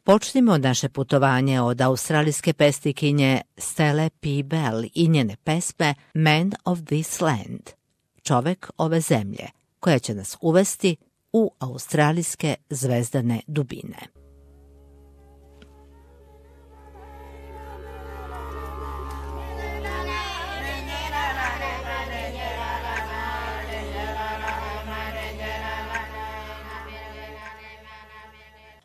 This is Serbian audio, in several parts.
Počnimo naše putovanje od australijske pesnikinje Stella P. Bell i njene pesme Man of this Land, čovek ove zemlje, koja će nas uvesti u australijske zvezdane dubine.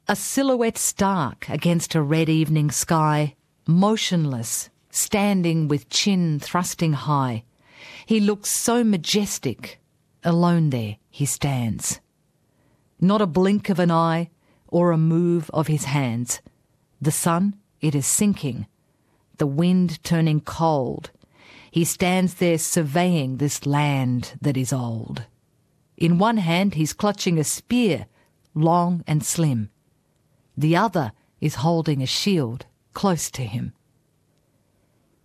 A silhouette stark against a red evening sky, motionless, standing with chin thrusting high. He looks so majestic, alone there he stands. Not a blink of an eye or a move of his hands. The sun, it is sinking, the wind turning cold. He stands there surveying this land that is old. In one hand he's clutching a spear, long and slim. The other is holding a shield close to him.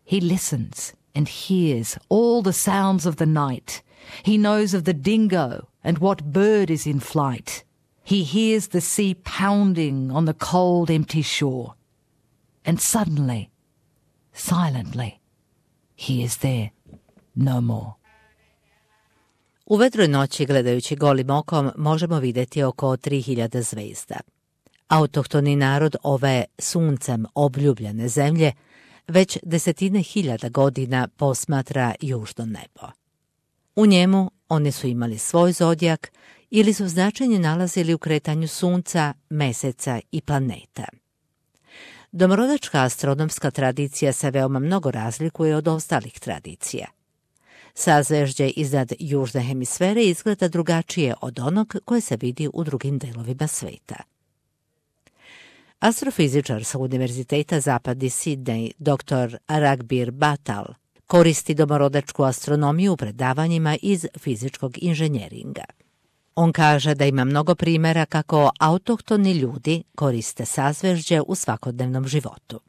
He listens and hears all the sounds of the night. He knows of the dingo and what bird is in flight. He hears the sea pounding on the cold, empty shore. And suddenly, silently, he is there no more. U vedroj noći, gledajući golim okom, možemo vidjeti oko 3000 zvezda. Autohtoni narod ove suncem obljubljene zemlje već desetine hiljada godina posmatra južno nebo. U njemu oni su imali svoj zodijak ili su značenje nalazili u kretanju sunca, meseca i planeta. Domorodačka astronomska tradicija se veoma mnogo razlikuje od ostalih tradicija. Sazvežđe iznad južne hemisfere izgleda drugačije od onog koje se vidi u drugim delovima sveta. Astrofizičar sa Univerziteta Zapadni Sidney, dr. Ragbir Batal, koristi domorodačku astronomiju u predavanjima iz fizičkog inženjeringa. On kaže da ima mnogo primjera kako autohtoni ljudi koriste sazvežđe u svakodnevnom životu.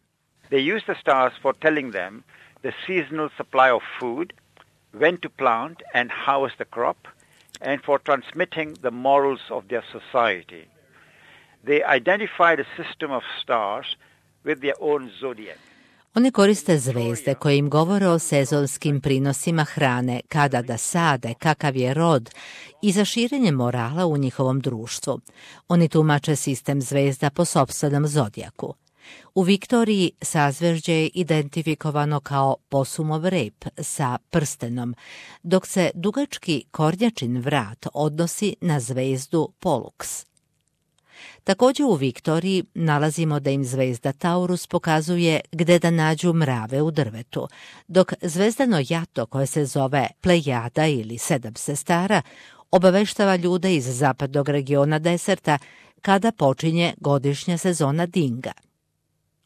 They use the stars for telling them the seasonal supply of food, when to plant and harvest the crop, and for transmitting the morals of their society. They identify the system of stars with their own zodiac. Oni koriste zvezde koje im govore o sezonskim prinosima hrane, kada da sade, kakav je rod i za širenje morala u njihovom društvu. Oni tumače sistem zvezda po sopstvenom zodijaku. U Viktoriji sazvežđe je identifikovano kao posumov rep sa prstenom, dok se dugački kornjačin vrat odnosi na zvezdu Pollux. Također u Viktoriji nalazimo da im zvezda Taurus pokazuje gde da nađu mrave u drvetu, dok zvezdano jato koje se zove Plejada ili Sedam sestara obaveštava ljude iz zapadnog regiona deserta kada počinje godišnja sezona dinga.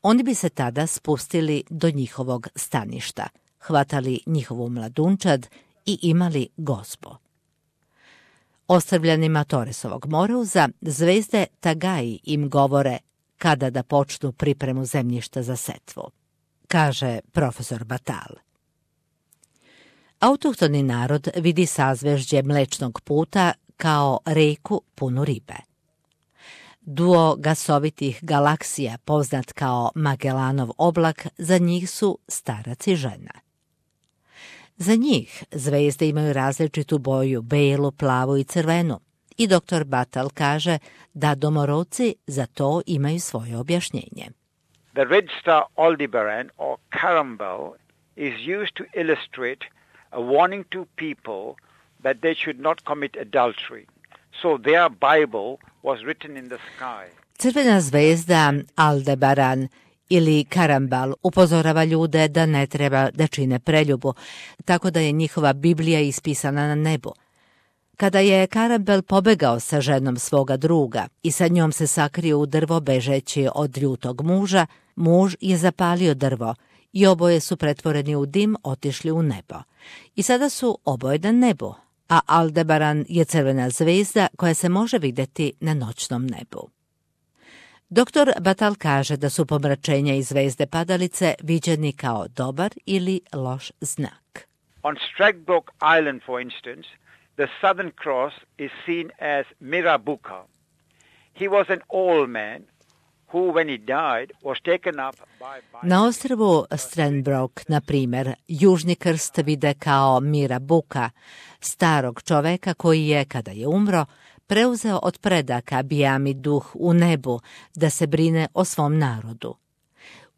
Oni bi se tada spustili do njihovog staništa, hvatali njihovu mladunčad i imali gozbo. Ostrvljanima Toresovog moreuza zvezde Tagaji im govore kada da počnu pripremu zemljišta za setvu, kaže profesor Batal. Autohtoni narod vidi sazvežđe Mlečnog puta kao reku punu ribe. Duo gasovitih galaksija, poznat kao Magellanov oblak, za njih su starac i žena. Za njih zvezde imaju različitu boju, belu, plavu i crvenu, i dr. Batal kaže da domorodci za to imaju svoje objašnjenje. The red star Aldebaran or Carambel is used to illustrate a warning to people that they should not commit adultery. So their Bible was written in the sky. Crvena zvezda Aldebaran ili Karambal upozorava ljude da ne treba da čine preljubu, tako da je njihova Biblija ispisana na nebu. Kada je Karambel pobegao sa ženom svoga druga i sa njom se sakrio u drvo bežeći od ljutog muža, muž je zapalio drvo i oboje su pretvoreni u dim otišli u nebo. I sada su oboje na nebu, a Aldebaran je crvena zvezda koja se može vidjeti na noćnom nebu. Dr. Batal kaže da su pomračenja i zvezde padalice viđeni kao dobar ili loš znak. On Stradbroke Island, for instance, the Southern Cross is seen as Mirabuka. He was an old man who, when he died, was taken up by... Na ostrvu Stranbrook, na primjer, Južni krst vide kao Mira Buka, starog čoveka koji je, kada je umro, preuzeo od predaka bijami duh u nebu da se brine o svom narodu.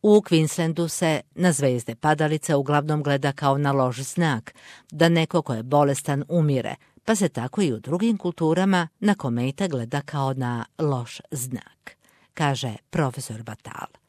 U Queenslandu se na zvezde padalice uglavnom gleda kao na loš znak, da neko ko je bolestan umire, pa se tako i u drugim kulturama na komete gleda kao na loš znak, kaže profesor Batal.